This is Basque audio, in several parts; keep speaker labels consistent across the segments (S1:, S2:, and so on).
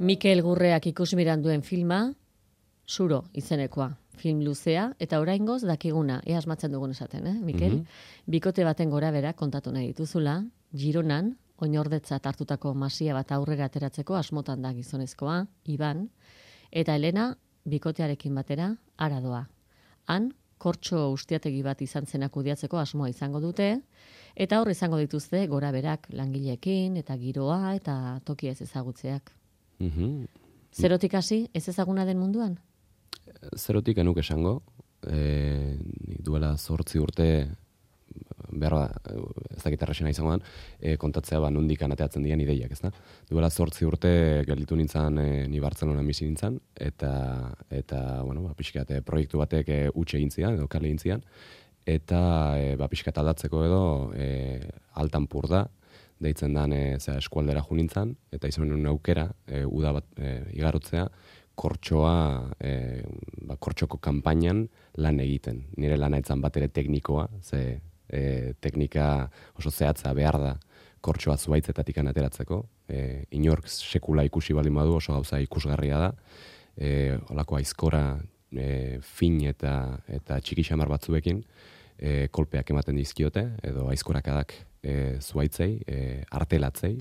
S1: Mikel Gurreak ikusmiran duen filma, Zuro izenekoa. Film luzea, eta oraingoz dakiguna, ea asmatzen dugun esaten, Mikel? Bikote baten gora bera kontatu nahi dituzula, Gironan, oinordetzat hartutako masia bat aurrera ateratzeko asmotan da gizonezkoa, Iban, eta Elena, bikotearekin batera, Aradoa. Han, kortxo ustiategi bat izan zen akudiatzeko asmoa izango dute, eta hor izango dituzte gora berak langileekin, eta giroa, eta tokia ez ezagutzeak. Zerotik hasi, ez ezaguna den munduan?
S2: Zerotik enuk esango, duela 8 urte, behar ez dakit errexena izango den, kontatzea nondik anateatzen dian ideiak, ez da? Duela 8 urte gelditu nintzen, ni Bartzelonan bizi nintzen, eta bueno, pixkat proiektu batek utxe egin zidan, edo kale egin zidan, eta pixkat aldatzeko edo altan pur da, deitzen dan eskualdera jo nintzen, eta izan nuen aukera, uda bat igarotzea, kortxoko kanpainan lan egiten. Nire lana etzan bat ere teknikoa, ze teknika oso zehatza behar da kortxoa zuaitzetatik ateratzeko. Inork sekula ikusi baldin badu oso gauza ikusgarria da. Holako aizkora fin eta txiki xamar batzuekin kolpeak ematen dizkiote, edo aizkorakadak zuaitzei, artelatzei,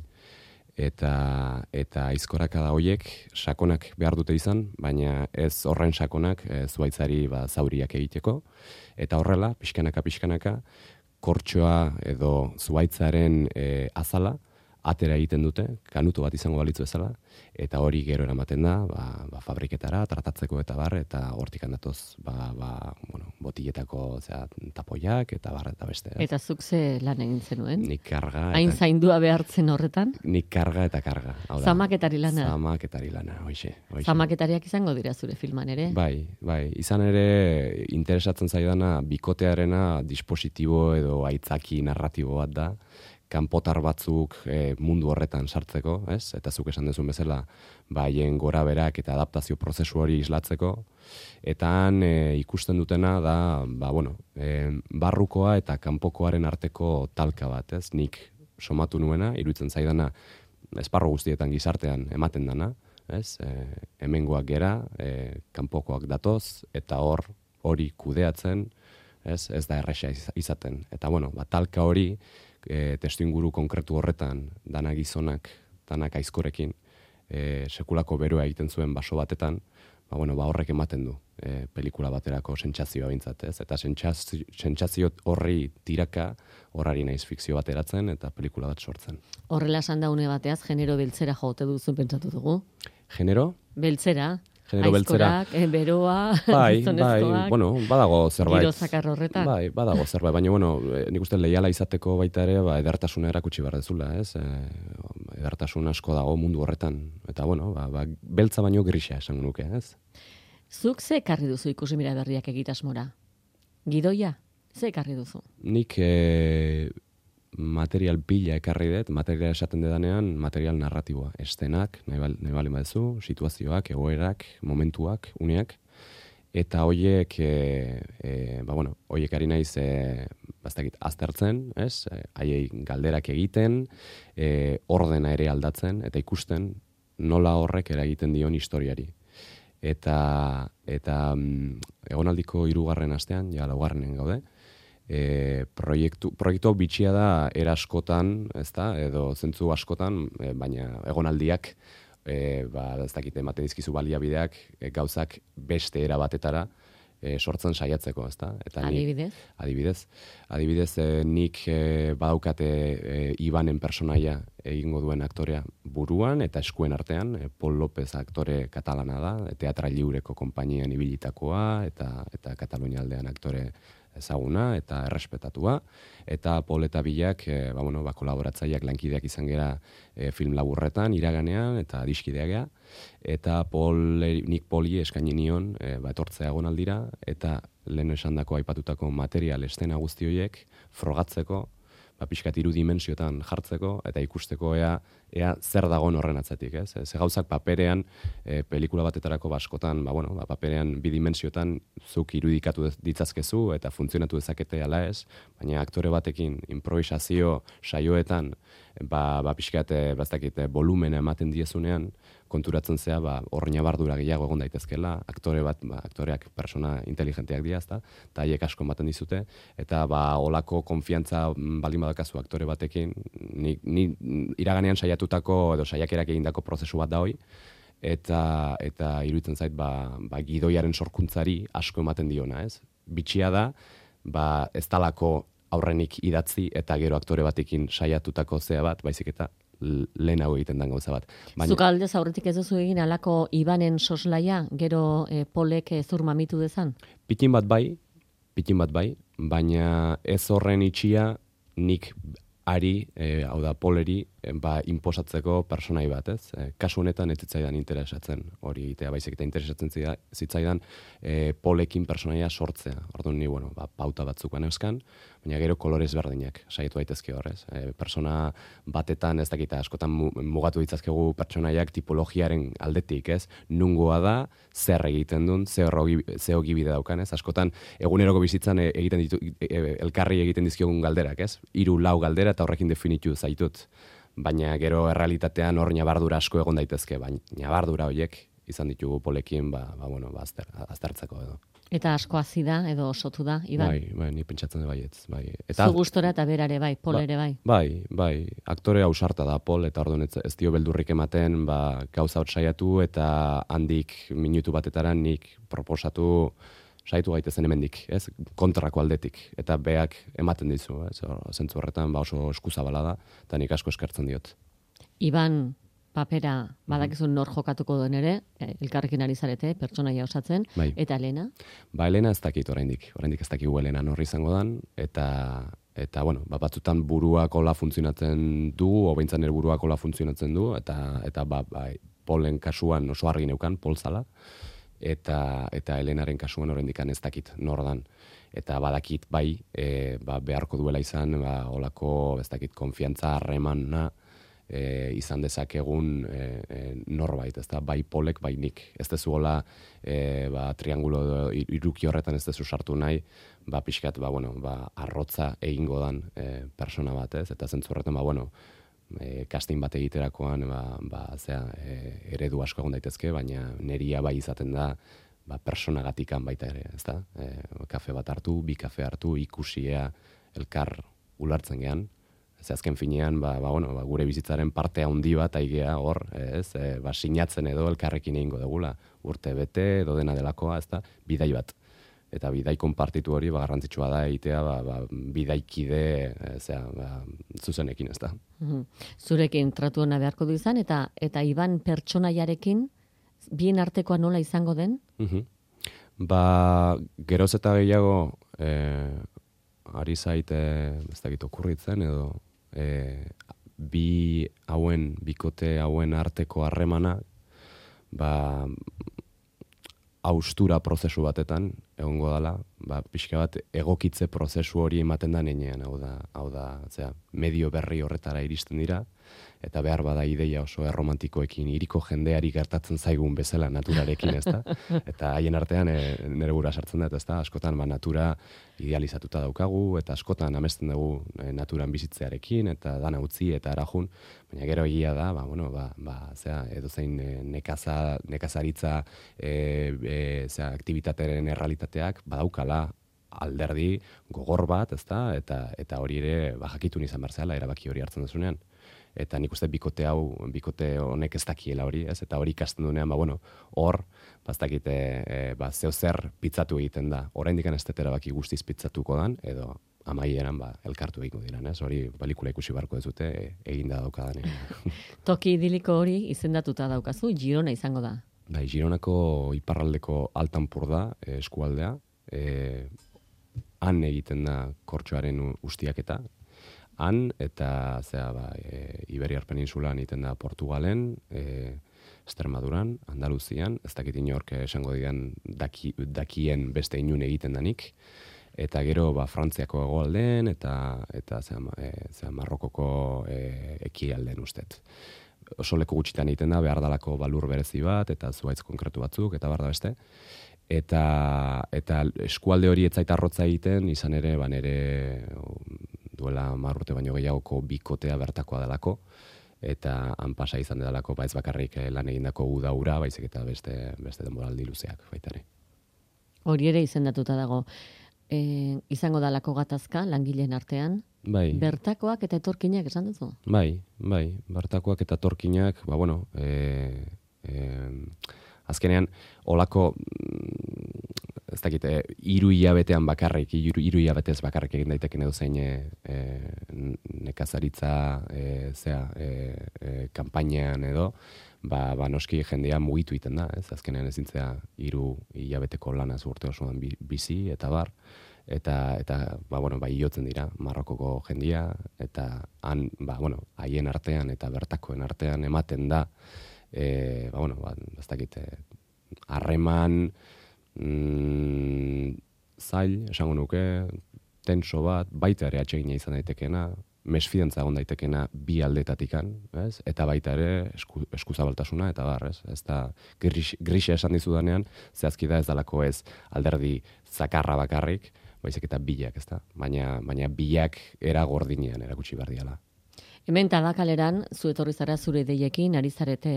S2: eta aizkorakada horiek sakonak behar dute izan, baina ez horren sakonak zuaitzari zauriak egiteko, eta horrela, pixkanaka, kortxoa edo zuaitzaren azala, atera egiten dute, kanuto bat izango balitzu ezala, eta hori gero eramaten da, fabriketara, tratatzeko eta bar, eta hortik handatoz, botiletako tapoiak, eta bar, eta beste.
S1: Eta zuk ze lan egin zenuen?
S2: Nik karga.
S1: Hain zaindua behartzen horretan?
S2: Nik karga eta karga.
S1: Zamaketari lana?
S2: Zamaketari lana, hoxe.
S1: Zamaketariak izango dira zure filman ere?
S2: Bai, izan ere interesatzen zaidana bikotearena dispositibo edo aitzaki narratibo bat da, kanpotar batzuk mundu horretan sartzeko, ez? Eta zuk esan duzun bezala, haien gora berak eta adaptazio prozesu hori islatzeko, eta han ikusten dutena da, barrukoa eta kanpokoaren arteko talka bat, ez? Nik somatu nuena, iruditzen zaidana, esparru guztietan gizartean ematen dana, ez? Hemengoak gera, kanpokoak datoz, eta hori kudeatzen, ez da erresa izaten. Eta talka hori, testuinguru konkretu horretan, danak gizonak, danak aizkorekin, sekulako beroa egiten zuen baso batetan, horrek ematen du pelikula baterako sentsazioa behintzat, ez? Eta sentsazio horri tiraka, horari naiz fikzio bateratzen, eta pelikula bat sortzen.
S1: Horrela esan da une bateaz, genero beltzera jote duzu pentsatu dugu?
S2: Genero?
S1: Beltzera.
S2: Genero beltzera.
S1: Aizkorak, beroa,
S2: gizonezkoak. Badago zerbait.
S1: Giro zakar horretan.
S2: Badago zerbait, baina nik uste leiala izateko baita ere, edertasuna erakutsi behar dezula, ez? Edertasun asko dago mundu horretan. Eta beltza baino grisa esan nuke, ez?
S1: Zuk ze ekarri duzu ikusimira berriak egitasmora? Gidoia? Ze ekarri duzu?
S2: Nik material pila ekarri dut, material esaten dedanean, material narratiboa, estenak, nahi bali badezu, situazioak, egoerak, momentuak, uneak, eta hoiek, hoiek ari naiz, aztertzen, ez? Haiei galderak egiten, ordena ere aldatzen, eta ikusten nola horrek eragiten dion historiari. Eta egonaldiko 3. astean, ja 4. gaude, proiektu bitxia da eraskotan, ezta, edo zentzu askotan, baina egonaldiak, ez dakit ematen dizkizu baliabideak, gauzak beste era batetara sortzen saiatzeko, ezta?
S1: Adibidez?
S2: Adibidez, nik badaukate Ibanen personaia egingo duen aktorea buruan eta eskuen artean, Pol López aktore katalana da, Teatra Lliureko konpainian ibilitakoa, eta Katalunia aldean aktore ezaguna eta errespetatua, eta Pol eta Bilak kolaboratzaileak lankideak izan gera film laburretan, iraganean, eta adiskideak gea, eta nik Poli eskaini nion etortzea egonaldira, eta lehen esandako aipatutako material estena guzti horiek frogatzeko, pixkat 3 dimensiotan jartzeko, eta ikusteko ea zer dagoen horren atzetik, ez? Ze gauzak paperean, pelikula batetarako baskotan, paperean 2 dimensiotan zuk irudikatu ditzazkezu, eta funtzionatu dezakete ala ez, baina aktore batekin improvisazio saioetan, pixkat, volumena ematen diezunean, konturatzen zea, hor nabardura gehiago egon daitezkela, aktoreak persona inteligenteak dira, ezta, eta haiek asko ematen dizute, eta olako konfiantza baldin badakazu aktore batekin, ni iraganean saiatutako edo saiakerak egindako prozesu bat da hoi, eta iruditzen zait gidoiaren sorkuntzari asko ematen diona, ez? Bitxia da, ez talako aurrenik idatzi eta gero aktore batekin saiatutako zea bat, baizik eta lehenago egiten den gauza bat.
S1: Zuk aldez aurretik ez duzu egin alako Ibanen soslaia, gero Polek zur mamitu dezan?
S2: Pitin bat bai, baina ez horren itxia nik ari, hau da Poleri, inposatzeko personai bat, ez? Kasu honetan ez zitzaidan interesatzen hori egitea, baizik eta interesatzen zitzaidan Polekin personaia sortzea. Orduan ni, pauta batzuk euskan, baina gero kolorez berdinak saiatu daitezke horrez. Persona batetan, ez dakita, askotan mugatu ditzazkegu pertsonaiak tipologiaren aldetik, ez? Nungoa da, zer egiten duen, ze ogibide daukan, ez? Askotan, eguneroko bizitzan elkarri egiten dizkiogun galderak, ez? 3-4 galdera eta horrekin definitu zaitut. Baina gero errealitatean hor nabardura asko egon daitezke, baina nabardura horiek izan ditugu Polekin, aztertzeko edo.
S1: Eta asko hazi da edo osotu da, Iban?
S2: Bai, ni pentsatzen da baietz.
S1: Zu gustora eta berare bai, Pol ere bai.
S2: Bai, aktore ausarta da Pol, eta orduan ez dio beldurrik ematen, gauza hot saiatu, eta handik minutu batetara nik proposatu saiatu gaitezen hemendik, ez? Kontrako aldetik, eta beak ematen dizu, ez? Zentzu horretan oso eskuzabala da, eta nik asko eskertzen diot.
S1: Iban, papera badakizun nor jokatuko duen ere, elkarrekin ari zarete, pertsonaia osatzen, eta Elena?
S2: Elena ez dakit oraindik ez dakigu Elena nor izango dan, eta batzutan buruak hola funtzionatzen du, obeintzan buruak hola funtzionatzen du, eta Polen kasuan oso argi neukan, Pol zala, eta Elenaren kasuan oraindik ez dakit nor dan. Eta badakit beharko duela izan, holako ez dakit konfiantza harremana izan dezakegun norbait, ezta, bai Polek, bai nik. Ez dezu hola triangulo iruki horretan ez dezu sartu nahi, pixkat, arrotza egingo dan persona bat, ez? Eta zentzu horretan, casting bat egiterakoan eredu asko egon daitezke, baina neria bai izaten da personagatikan baita ere, ezta? Kafe bat hartu, 2 kafe hartu, ikusia elkar ulartzen gean. Ez azken finean, gure bizitzaren parte handi bat aigea hor, ez? Sinatzen edo elkarrekin egingo dugula, urte bete edo dena delakoa, ezta? Bidai bat. Eta bidai konpartitu hori garrantzitsua da egitea bidaikide zuzenekin, ez da.
S1: Zurekin tratu ona beharko du izan, eta Iban pertsonaiarekin bien artekoa nola izango den?
S2: Geroz eta gehiago ari zaite ez dakit okurritzen edo bikote hauen arteko harremana haustura prozesu batetan egongo dela, pixka bat egokitze prozesu hori ematen da nenean, hau da, medio berri horretara iristen dira, eta behar bada ideia oso erromantikoekin hiriko jendeari gertatzen zaigun bezala naturarekin, ezta? Eta haien artean nere gura sartzen da, ezta? Askotan natura idealizatuta daukagu, eta askotan amesten dugu naturan bizitzearekin, eta dana utzi eta arajun, baina gero egia da, edozein nekazaritza aktivitateren errealitateak badaukala alderdi gogor bat, ezta? Eta hori ere jakitun izan behar zela, erabaki hori hartzen duzunean. Eta nik uste bikote honek ez dakiela hori, ez? Eta hori ikasten duenean, hor, ez dakite, zeo zer pitzatu egiten da. Oraindik ez dut erabaki guztiz pitzatuko dan, edo amaieran elkartu egingo diran, ez? Hori pelikula ikusi barko ez dute, eginda daukadan.
S1: Toki idiliko hori izendatuta daukazu, Girona izango da.
S2: Gironako iparraldeko Altanpurda eskualdea, han egiten da kortxoaren ustiaketa, han, eta Iberiar Peninsulan egiten da Portugalen, Extremaduran, Andaluzian, ez dakit inork esango dian dakien beste inun egiten danik, eta gero Frantziako hegoaldean, eta Marrokoko ekialdean ustet. Oso leku gutxitan egiten da, behar dalako balur berezi bat, eta zuhaitz konkretu batzuk, eta behar da beste. Eta eskualde hori etzaita arrotza egiten, izan ere, duela 10 urte baino gehiagoko bikotea bertakoa delako, eta han pasa izan dedalako, ez bakarrik lan egindako uda ura, baizik eta beste denboraldi luzeak baita ere.
S1: Hori ere izendatuta dago. Izango dalako gatazka langileen artean,
S2: Bai.
S1: Bertakoak eta etorkinak esan duzu?
S2: Bai, bertakoak eta etorkinak, azkenean, olako, ez dakit, 3 hilabetean bakarrik, 3 hilabetez bakarrik egin daiteken edo zein nekazaritza kanpainan edo, noski jendea mugitu iten da, ez? Azkenean ezintzea 3 hilabeteko lanaz urte osoan bizi eta bar, eta iotzen dira Marrokoko jendia, eta han, haien artean eta bertakoen artean ematen da, ez dakit, harreman zail, esango nuke, tenso bat, baita ere atsegina izan daitekeena, mesfidantza egon daitekeena bi aldetatikan, ez? Eta baita ere eskuzabaltasuna eta bar, ez? Ez da grisa esan dizudanean, zehazki da ez dalako ez alderdi zakarra bakarrik, baizik eta bilak, ez da? Baina bilak era gordinean erakutsi behar diala.
S1: Hemen Tabakaleran, zu etorri zara zure ideiekin, ari zarete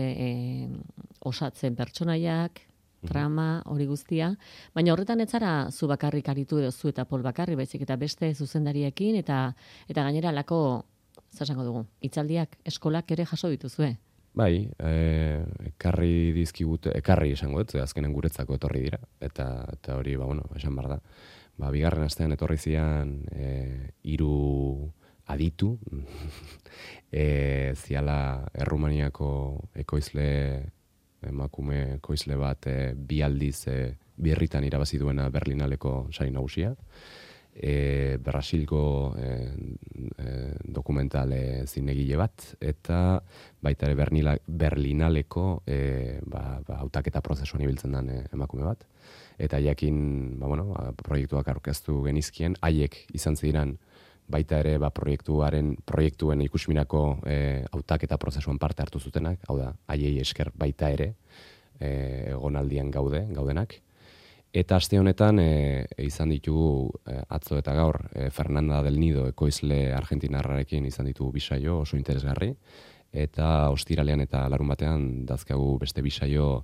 S1: osatzen pertsonaiak, trama, hori guztia, baina horretan ez zara zu bakarrik aritu edo zu eta Pol bakarrik, baizik eta beste zuzendariekin, eta gainera lako, zasango dugu, hitzaldiak, eskolak ere jaso dituzue.
S2: Bai, ekarri esango dut, azkenen guretzako etorri dira, eta hori, esan behar da. Bigarren astean etorri zian 3 aditu, ziala Errumaniako emakume ekoizle bat 2 aldiz birritan irabazi duena Berlinaleko sari nagusia, Brasilgo dokumentale zinegile bat, eta baita ere Berlinaleko hautaketa prozesuan ibiltzen den emakume bat. Eta jakin, proiektuak aurkeztu genizkien, haiek izan ziren baita ere proiektuen ikusminako hautaketa prozesuan parte hartu zutenak, hau da, haiei esker baita ere egonaldian gaudenak. Eta aste honetan izan ditugu atzo eta gaur Fernanda del Nido ekoizle argentinarrarekin izan ditugu bisaio oso interesgarri, eta ostiralean eta larun batean dazkagu beste bisaio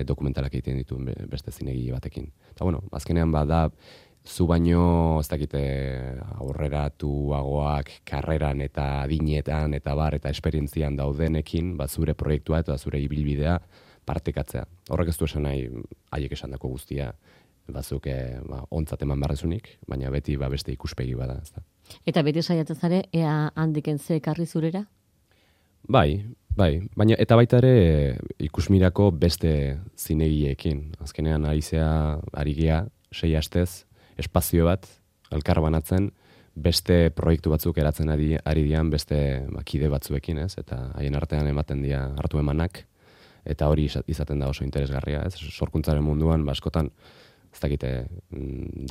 S2: dokumentalak egiten ditu beste zinegile batekin. Eta azkenean da zu baino, ez dakite, aurreratuagoak karreran eta adinetan eta bar eta esperientzian daudenekin, zure proiektua eta zure ibilbidea partekatzea. Horrek ez du esan nahi haiek esandako guztia batzuk ontzat eman barrezunik, baina beti beste ikuspegi bada. Ez da.
S1: Eta beti saiatzen zare, ea handiken ze ekarri zurera?
S2: Bai, baina eta baita ere ikusmirako beste zinegileekin. Azkenean ari gea 6 astez, espazio bat, elkar banatzen, beste proiektu batzuk eratzen ari dian beste kide batzuekin, ez? Eta haien artean ematen dira hartu emanak, eta hori izaten da oso interesgarria, ez? Sorkuntzaren munduan, askotan, ez dakite,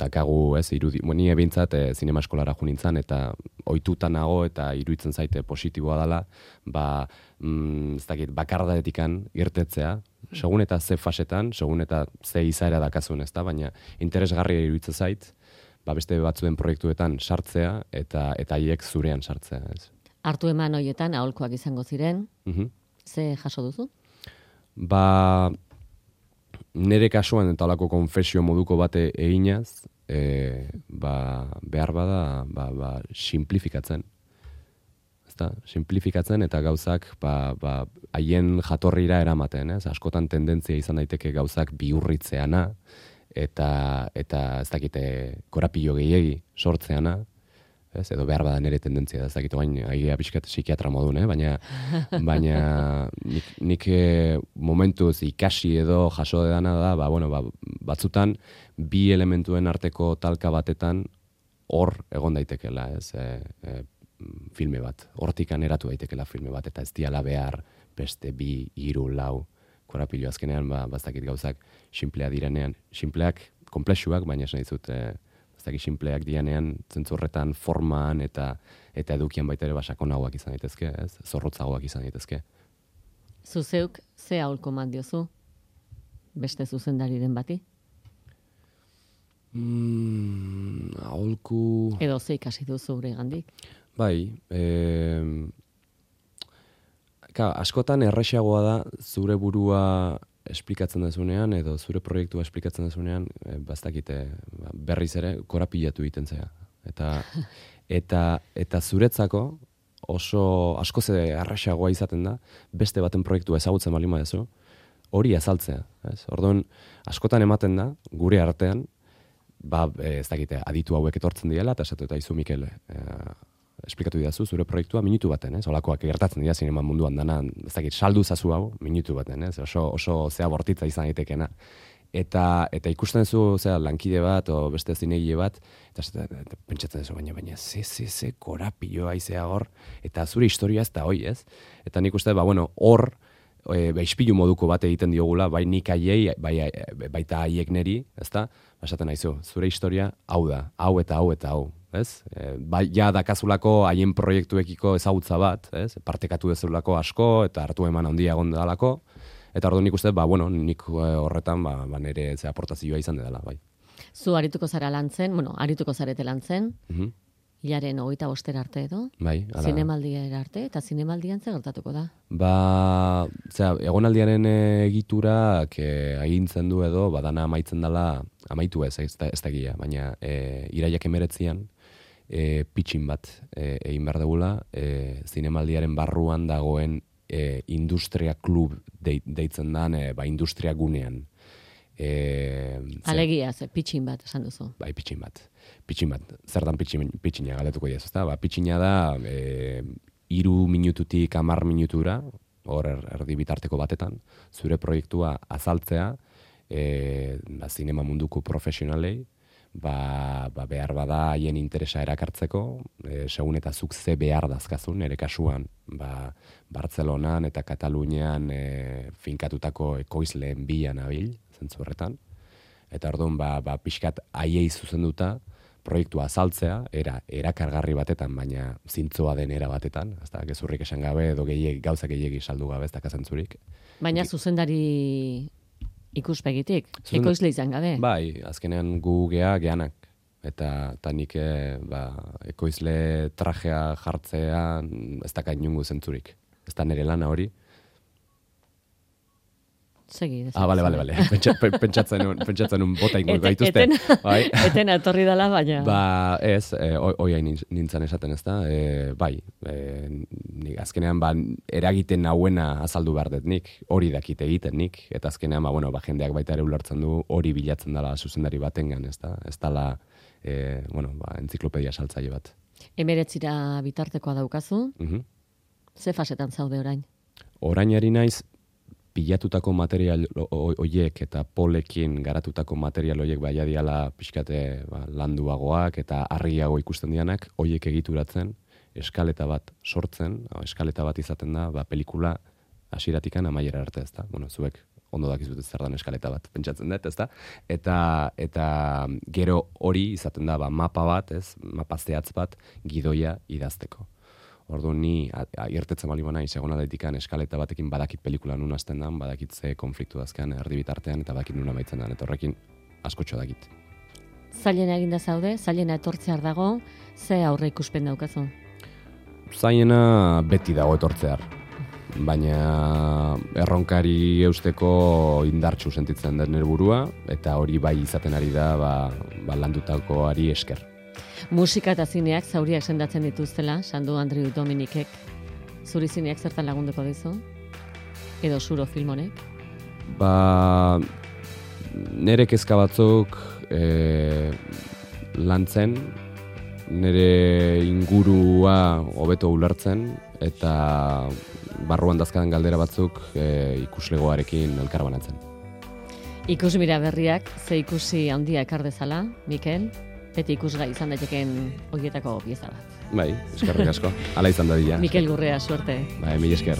S2: dakagu, ez? Ni ebintzat, zinema eskolara jo nintzen, eta ohituta nago eta iruditzen zaite positiboa dela, ez dakit, bakardadetikan irtetzea, segun eta ze fasetan, segun eta ze izaera dakazun, ez da, baina interesgarria iruditzen zait, beste batzuen proiektuetan sartzea eta haiek zurean sartzea. Ez.
S1: Hartu eman horietan aholkoak izango ziren, ze jaso duzu?
S2: Nere kasuan eta alako konfesio moduko bate eginaz, behar bada simplifikatzen. Simplifikatzen eta gauzak haien jatorrira eramaten, ez? Askotan tendentzia izan daiteke gauzak bihurritzeana eta ez dakite korapilo gehiegi sortzeana, ez? Edo behar bada nire tendentzia, ez dakite baina agia pixkat psikiatra modun, baina nik momentuz ikasi edo jaso dedana da, batzutan bi elementuen arteko talka batetan hor egon daitekela, ez? Filme bat, hortikan eratu daitekela filme bat, eta ez diala behar beste 2, 3, 4 korapilo azkenean, bastakit gauzak simplea direnean, simpleak, komplexuak, baina esan dizut, bastakit simpleak direnean, zentzurretan formaan eta edukian baita ere sakonagoak izan daitezke, ez? Zorrotzagoak izan daitezke.
S1: Zuzeuk, ze aholko eman diozu beste zuzendariren bati?
S2: Aholku...
S1: Edo ze ikasi duzu gure gandik?
S2: Bai, askotan erraxagoa da zure burua esplikatzen dezunean, edo zure proiektua esplikatzen dezunean, bastakite, berriz ere, korapilatu egiten zea. Eta zuretzako oso askoz erraxagoa izaten da, beste baten proiektua ezagutzen baldin baduzu, hori azaltzea. Orduan, askotan ematen da, gure artean, ez dakite, aditu hauek etortzen diela, eta esatu eta izu Mikel, esplikatu didazu, zure proiektua minutu baten, holakoak gertatzen dira zinema munduan dana, ez dakit, saldu zazu hau, minutu baten, oso zea bortitza izan daitekena. Eta ikusten zu, lankide bat, o beste zinegile bat, eta pentsatzen duzu, baina, ze, korapilloa izea hor, eta zure historia ez da hoi, ez? Eta nik uste, hor, ispilu moduko bat egiten diogula, bai nik aiei, baita aiek neri, ezta? Esaten naizu, zure historia hau da, hau eta hau eta hau, ez? Ja dakazulako haien proiektuekiko ezagutza bat, ez? Partekatu dezulako asko eta hartu eman handia gondalako, eta orduan nik uste, nik horretan nire aportazioa izan dela, bai.
S1: Zu arituko zara lantzen, arituko zarete lantzen, hilaren 25 arte edo, zinemaldiera arte, eta zinemaldian ze gertatuko da?
S2: Egonaldiaren egiturak agintzen du edo, dana amaitzen dela, amaitu ez da gila, baina iraiak 19an, pitxin bat egin behar dugula, zinemaldiaren barruan dagoen industria klub deitzen dan, industria gunean.
S1: Alegia, pitxin bat, esan duzu.
S2: Bai, pitxin bat. Zertan pitxina galdetuko diaz, ezta? Pitxina da, 3 minututik 10 minutura, hor erdi bitarteko batetan, zure proiektua azaltzea, zinema munduko profesionalei, behar bada haien interesa erakartzeko, segun eta zuk ze behar dazkazun, ere kasuan, Bartzelonan eta Katalunian finkatutako ekoizleen bilan abil, zentzu horretan. Eta orduan, pixkat haiei zuzenduta, proiektua azaltzea, erakargarri batetan, baina zintzoa den era batetan, gezurrik esan gabe, edo gauzak gehiegi saldu gabe, ez dakazentzurik.
S1: Baina zuzendari ikuspegitik, ekoizle izan gabe.
S2: Bai, azkenean gu geanak, eta nik ekoizle trajea jartzean ez daka inungo zentzurik. Ez da nire lana hori.
S1: Segi.
S2: Bale. Pentsatzen un bota ingo gaituzte.
S1: Etena etorri dela, baina.
S2: Ez, oia nintzen esaten ez da. Azkenean, eragiten nauena azaldu behar dut nik, hori dakite egiten nik, eta azkenean, jendeak baita ere ulertzen du, hori bilatzen dela zuzendari batengan, ez da. Ez dela, entziklopedia saltzaile bat.
S1: 19 bitartekoa daukazu. Ze fasetan zaude orain?
S2: Orain ari naiz, pilatutako material oiek eta polekin garatutako material oiek diala pixkate landuagoak eta argiago ikusten dianak, oiek egituratzen, eskaleta bat sortzen, eskaleta bat izaten da, pelikula hasieratikan amaiera arte, ez da. Zuek ondo dakizut zer dan eskaleta bat, pentsatzen dut, ez da. Eta gero hori izaten da, mapa bat, mapa zehatz bat, gidoia idazteko. Orduan ni irtetzen bali bana izagona daitikan eskaleta batekin badakit pelikula nun hasten dan, badakit ze konfliktu dazkean erdi bitartean eta badakit nun amaitzen dan, eta horrekin askotxo dakit.
S1: Zailena eginda zaude, zailena etortzear dago, ze aurre ikuspen daukazu?
S2: Zailena beti dago etortzear, baina erronkari eusteko indartsu sentitzen den nire burua, eta hori bai izaten ari da landutakoari esker.
S1: Musika eta zineak zauriak sendatzen dituztela, Sandu Andriu Dominikek. Zuri zineak zertan lagunduko dizu? Edo zuro film honek?
S2: Nere kezka batzuk lantzen, nere ingurua hobeto ulertzen, eta barruan dazkadan galdera batzuk ikuslegoarekin elkarbanatzen.
S1: Ikusmira berriak, ze ikusi handia ekar dezala, Mikel? Beti ikusgai izan daiteken horietako pieza bat.
S2: Bai, eskerrik asko. Hala izan dadila.
S1: Mikel Gurrea, suerte.
S2: Bai, mila esker.